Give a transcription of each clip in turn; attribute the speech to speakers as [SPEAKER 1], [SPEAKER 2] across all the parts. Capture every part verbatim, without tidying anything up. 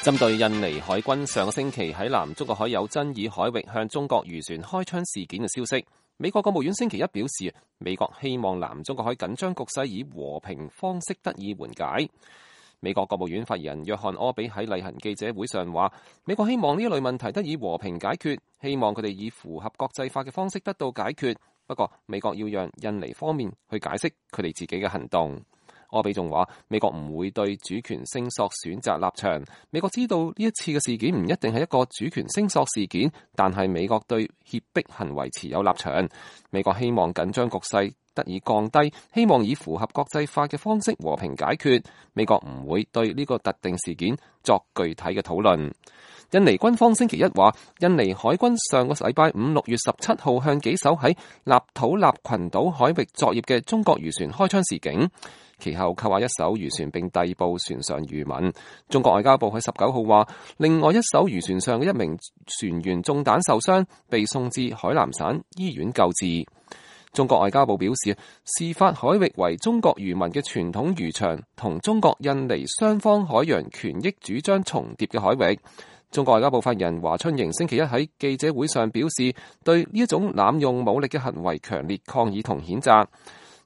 [SPEAKER 1] 針對印尼海軍上個星期喺南中國海有爭議海域向中國漁船開槍事件嘅消息，美國國務院星期一表示，美國希望南中國海緊張局勢以和平方式得以緩解。美國國務院發言人約翰柯比喺例行記者會上話，美國希望呢一類問題得以和平解決，希望佢哋以符合國際法嘅方式得到解決。不過，美國要讓印尼方面去解釋佢哋自己嘅行動。柯比仲話，美國唔會對主權聲索選擇立場。美國知道呢一次嘅事件唔一定係一個主權聲索事件，但係美國對脅迫行為持有立場。美國希望緊張局勢得以降低，希望以符合國際法嘅方式和平解決。美國唔會對呢個特定事件作具體嘅討論。印尼軍方星期一話，印尼海軍上個禮拜五六月十七號向幾艘喺納土納群島海域作業嘅中國漁船開槍示警，其後扣下一艘漁船並逮捕船上漁民。中國外交部喺十九號話，另外一艘漁船上嘅一名船員中彈受傷，被送至海南省醫院救治。中國外交部表示，事發海域為中國漁民嘅傳統漁場，同中國印尼雙方海洋權益主張重疊嘅海域。中國外交部發言人華春瑩星期一喺記者會上表示，對呢一種濫用武力嘅行為強烈抗議同譴責。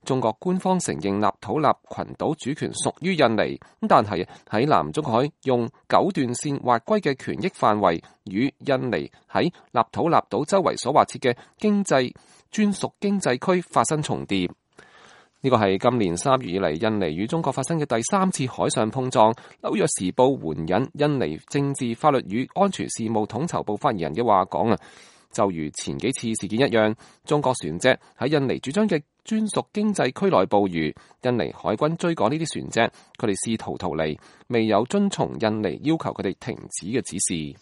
[SPEAKER 1] 中國官方承認納土納群島主權屬於印尼，但係喺南中國海用九段線劃歸嘅權益範圍，與印尼喺納土納島周圍所劃設嘅經濟專屬經濟區發生重疊。呢個係今年三月以嚟印尼與中國發生嘅第三次海上碰撞。紐約時報援引印尼政治法律與安全事務統籌部發言人嘅話講啊，就如前幾次事件一樣，中國船隻喺印尼主張嘅專屬經濟區內捕魚，印尼海軍追趕呢啲船隻，佢哋試圖逃離，未有遵從印尼要求佢哋停止嘅指示。